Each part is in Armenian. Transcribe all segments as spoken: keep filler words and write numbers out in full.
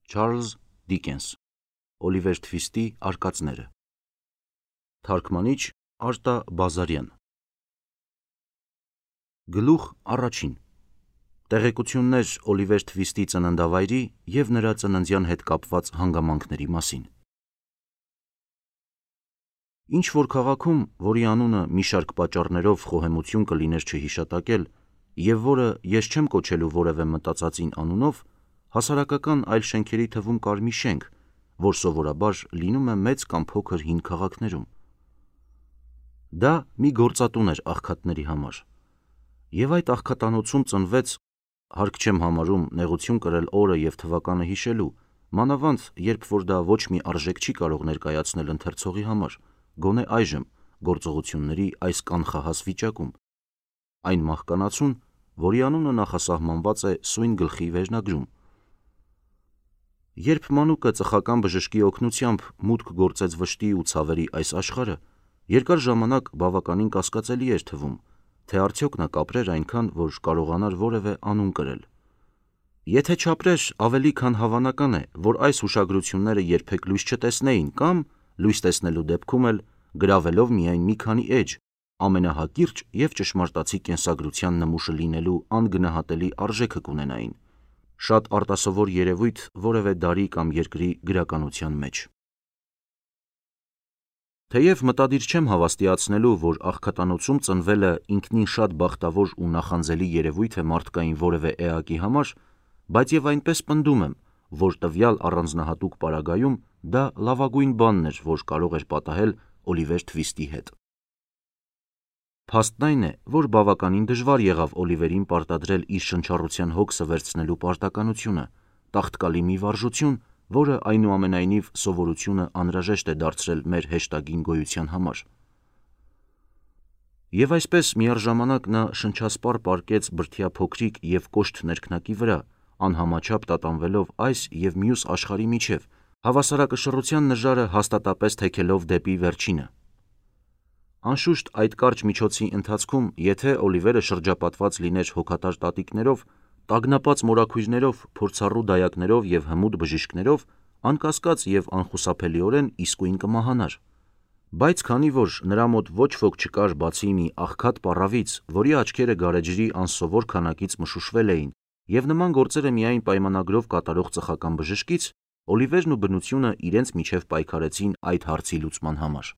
Չարլզ Դիկենս Օլիվեր Թվիստի արկածները Թարգմանիչ Արտա Բազարյան Գլուխ առաջին Տեղեկություններ Օլիվեր Թվիստի ծննդավայրի և նրա ծննդյան հետ կապված հանգամանքների մասին Ինչ-որ քաղաքում, որի անունը մի շարք պատճառներով խոհեմություն կլիներ չհիշատակել և որը ես չեմ կոչելու որևէ մտածածին անունով, հասարակական այլ շենքերի թվում կար մի շենք, որ սովորաբար լինում է մեծ կամ փոքր հին քաղաքներում։ Դա մի գործատուն էր աղքատների համար, և այդ աղքատանոցում ծնվեց, հարկ չեմ համարում նեղություն կրել օրը և թվականը հիշելու, մանավանդ երբ որ դա ոչ մի արժեք չի կարող ներկայացնել ընթերցողի համար, գոնե այժմ գործողությունների այս կանխահաս վիճակում, այն մահկանացուն, որի անունը նախասահմանված է սույն գլխի վերնագրում։ Երբ մանուկը ծխական բժշկի օգնությամբ մուտք գործեց վշտի ու ցավերի այս աշխարհը, երկար ժամանակ բավականին կասկածելի էր թվում, թե արդյոք նա կապրեր այնքան, որ կարողանար որևէ անուն կրել։ Եթե չապրեր, ավելի քան հավանական է, որ այս հուշագրությունները երբեք լույս չտեսնեին կամ, լույս տեսնելու դեպքում էլ, գրավելով միայն մի քանի էջ, ամենահակիրճ և ճշմարտացի կենսագրության նմուշը լինելու անգնահատելի արժեքը կունենային, շատ արտասովոր երևույթ որևէ դարի կամ երկրի գրականության մեջ։ Թեև մտադիր չեմ հավաստիացնելու, որ աղքատանոցում ծնվելը ինքնին շատ բախտավոր ու նախանձելի երևույթ է մարդկային որևէ էակի համար, բայց և այնպես պնդում եմ, որ տվյալ առանձնահատուկ պարագայում դա լավագույն բանն էր, որ կարող էր պատահել Օլիվեր Թվիստի հետ։ Փաստն այն է, որ բավականին դժվար եղավ Օլիվերին պարտադրել իր շնչառության հոգսը վերցնելու պարտականությունը, տաղտկալի մի վարժություն, որը այնուամենայնիվ սովորությունը անհրաժեշտ է դարձրել մեր հեշտագին գոյության համար։ Եվ այսպես միառժամանակ նա շնչասպառ պառկեց բրդյա փոքրիկ և կոշտ ներքնակի վրա, անհամաչափ տատանվելով այս և մյուս աշխարհի միջև, հավասարակշռության նժարը հաստատապես թեքելով դեպի վերջինը։ Անշուշտ այդ կարճ միջոցի ընթացքում, եթե Օլիվերը շրջապատված լիներ հոգատար տատիկներով, տագնապած մորաքույրներով, փորձառու դայակներով և հմուտ բժիշկներով, անկասկած և անխուսափելիորեն իսկույն կմահանար։ Բայց քանի որ նրա մոտ ոչ ոք չկար բացի մի աղքատ պառավից, որի աչքերը գարեջրի անսովոր քանակից մշուշվել էին, և նման գործերը միայն պայմանագրով կատարող ծխական բժշկից, Օլիվերն ու բնությունը իրենց միջև պայքարեցին այդ հարցի լուծման համար։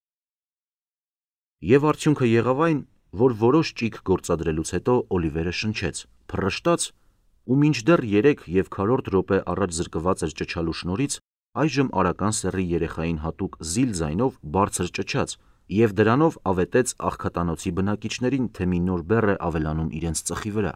Եվ արդյունքը եղավ այն, որ որոշ ճիգ գործադրելուց հետո Օլիվերը շնչեց, փռշտաց ու մինչդեռ երեք և քառորդ րոպե առաջ զրկված էր ճչալու շնորհից, այժմ արական սեռի երեխային հատուկ զիլ ձայնով բարձր ճչաց և դրանով ավետեց աղքատանոցի բնակիչներին, թե մի նոր բեռ է ավելանում իրենց ծխի վրա։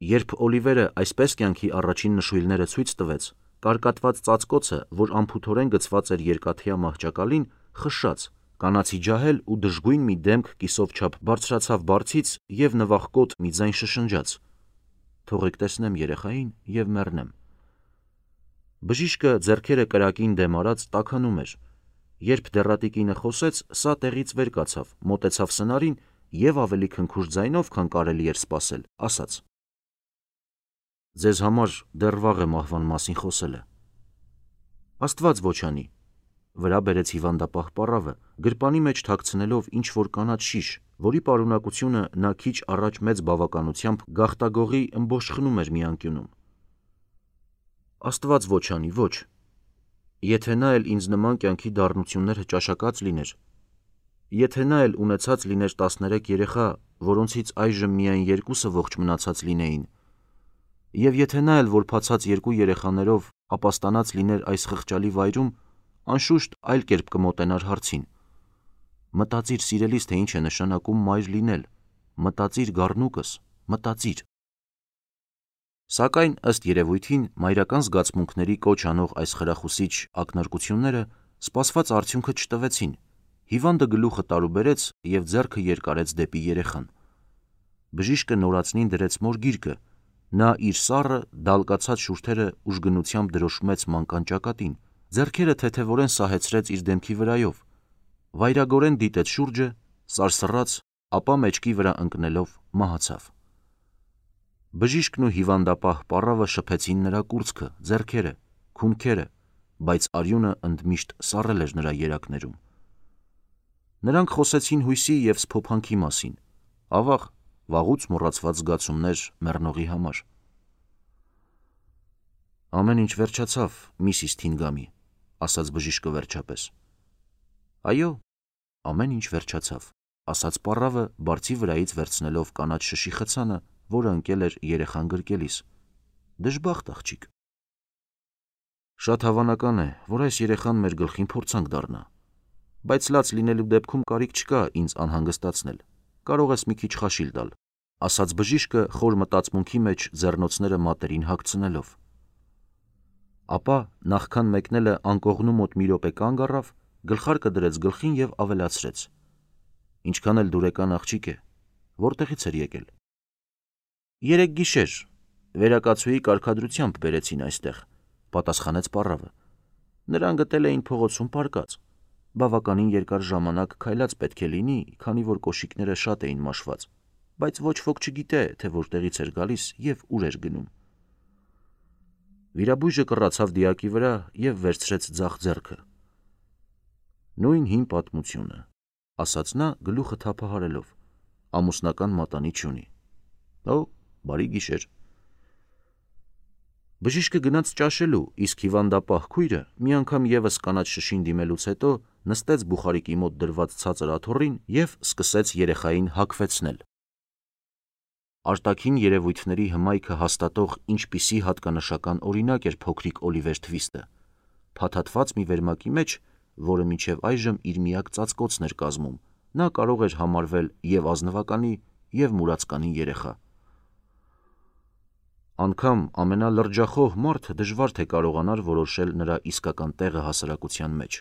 Երբ Օլիվերը այսպես կյանքի առաջին նշույլները ցույց տվեց, կարկատված ծածկոցը, որ անփութորեն գցված էր երկաթյա մահճակալին, խշշաց, կանացի ջահել ու դժգույն մի դեմք կիսով չափ բարձրացավ բարձից և նվախկոտ մի ձայն շշնջաց. «Թողեք տեսնեմ երեխային և մեռնեմ»։ Բժիշկը ձեռքերը կրակին դեմ արած տաքանում էր։ Երբ դեռատիկինը խոսեց, սա տեղից վեր կացավ, մոտեցավ սնարին և ավելի քնքուշ ձայնով, քան կարելի էր սպասել, ասաց. «Ձեզ համար դեռ վաղ է մահվան մասին խոսելը»։ Աստված ոչ անի։ Վրա բերեց հիվանդապահ պառավը, գրպանի մեջ թաքցնելով ինչ-որ կանաչ շիշ, որի պարունակությունը նա քիչ առաջ մեծ բավականությամբ գաղտագողի ըմբոշխնում էր մի անկյունում։ Աստված ոչ անի, ոչ։ Եթե նա էլ ինձ նման կյանքի դառնություններ հճաշակած լիներ, եթե նա էլ ունեցած լիներ տասներեք երեխա, որոնցից այժմ միայն երկուսը ողջ մնացած լինեին, և եթե նա էլ որբացած երկու երեխաներով ապաստանած լիներ այս խղճալի վայրում, անշուշտ այլ կերպ կմոտենար հարցին։ Մտածիր, սիրելիս, թե ինչ է նշանակում մայր լինել, մտածիր, գառնուկս, մտածիր։ Սակայն, ըստ երևույթին, մայրական զգացմունքների կոչ անող այս խրախուսիչ ակնարկությունները սպասված արդյունքը չտվեցին։ Հիվանդը գլուխը տարուբերեց և ձեռքը երկարեց դեպի երեխան։ Բժիշկը նորածնին դրեց մոր գիրկը, նա իր սառը, դալկացած շուրթերը ուժգնությամբ դրոշմեց մանկան ճակատին, ձեռքերը թեթևորեն սահեցրեց իր դեմքի վրայով, վայրագորեն դիտեց շուրջը, սարսռաց, ապա մեջքի վրա ընկնելով մահացավ։ Բժիշկն ու հիվանդապահ պառավը շփեցին նրա կուրծքը, ձեռքերը, քունքերը, բայց արյունը ընդմիշտ սառել էր նրա երակներում։ Նրանք խոսեցին հույսի և սփոփանքի մասին, ավաղ, վաղուց մոռացված զգացումներ մեռնողի համար։ Ամեն ինչ վերջացավ, միսիս Թինգամի, ասաց բժիշկը վերջապես։ Այո, ամեն ինչ վերջացավ, ասաց պառավը, բարձի վրայից վերցնելով կանաչ շշի խցանը, որը ընկել էր երեխան գրկելիս։ Դժբախտ աղջիկ։ Շատ հավանական է, որ այս երեխան մեր գլխին փորձանք դառնա, բայց լաց լինելու դեպքում կարիք չկա ինձ անհանգստացնել, կարող ես մի քիչ խաշիլ տալ, ասաց բժիշկը խոր մտածմունքի մեջ ձեռնոցները մատերին հագցնելով։ Ապա նախքան մեկնելը անկողնու մոտ մի րոպե կանգ առավ, գլխարկը դրեց գլխին և ավելացրեց. Ինչքան էլ դուրեկան աղջիկ է, որտեղից էր եկել։ Երեկ գիշեր, վերակացուի կարգադրությամբ բերեցին այստեղ, պատասխանեց պառավը։ Նրան գտել էին փողոցում պառկած, բավականին երկար ժամանակ քայլած պետք է լինի, քանի որ կոշիկները շատ էին մաշված, բայց ոչ ոք չգիտե, թե որտեղից էր գալիս և ուր էր գնում։ Վիրաբույժը կռացավ դիակի վրա և վերցրեց ձախ ձեռքը։ Նույն հին պատմությունը, ասաց նա գլուխը թափահարելով, ամուսնական մատանի չունի։ Օ, բարի գիշեր։ Բժիշկը գնաց ճաշելու, իսկ հիվանդապահ քույրը մի անգամ ևս կանաչ շշին դիմելուց հետո նստեց բուխարիկի մոտ դրված ցածր աթոռին և սկսեց երեխային հագվեցնել։ Արտաքին երևույթների հմայքը հաստատող ինչպիսի հատկանշական օրինակ էր փոքրիկ Օլիվեր Թվիստը, փաթաթված մի վերմակի մեջ, որը մինչև այժմ իր միակ ծածկոցն էր կազմում, նա կարող էր համարվել և ազնվականի, և մուրացկանի երեխա։ Անգամ ամենալրջախոհ մարդը դժվար թե կարողանար որոշել նրա իսկական տեղը հասարակության մեջ,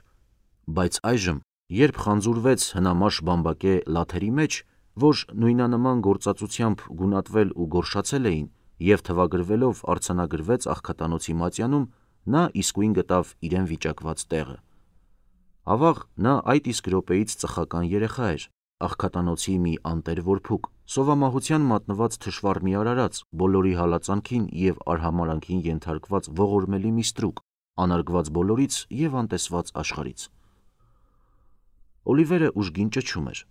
բայց այժմ, երբ խանձուրվեց հնամաշ բամբակե լաթերի մեջ, որ նույնանման գործածությամբ գունատվել ու գորշացել էին և թվագրվելով արձանագրվեց աղքատանոցի մատյանում, նա իսկույն գտավ իրեն վիճակված տեղը։ Ավաղ նա այդ իսկ րոպեից ծխական երեխա էր, աղքատանոցի մի անտեր որբուք, սովամահության մատնված թշվառ մի արարած, բոլորի հալածանքին և արհամարհանքին ենթարկված ողորմելի մի ստրուկ, անարգված բոլորից և անտեսված աշխարհից։ Օլիվերը ուժգին ճչում էր։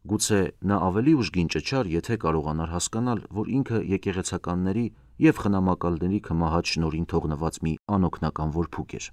Գուցե նա ավելի ուժգին ճչար, եթե կարողանար հասկանալ, որ ինքը եկեղեցականների և խնամակալների քմահաճ շնորհին թողնված մի անօգնական որբուք էր։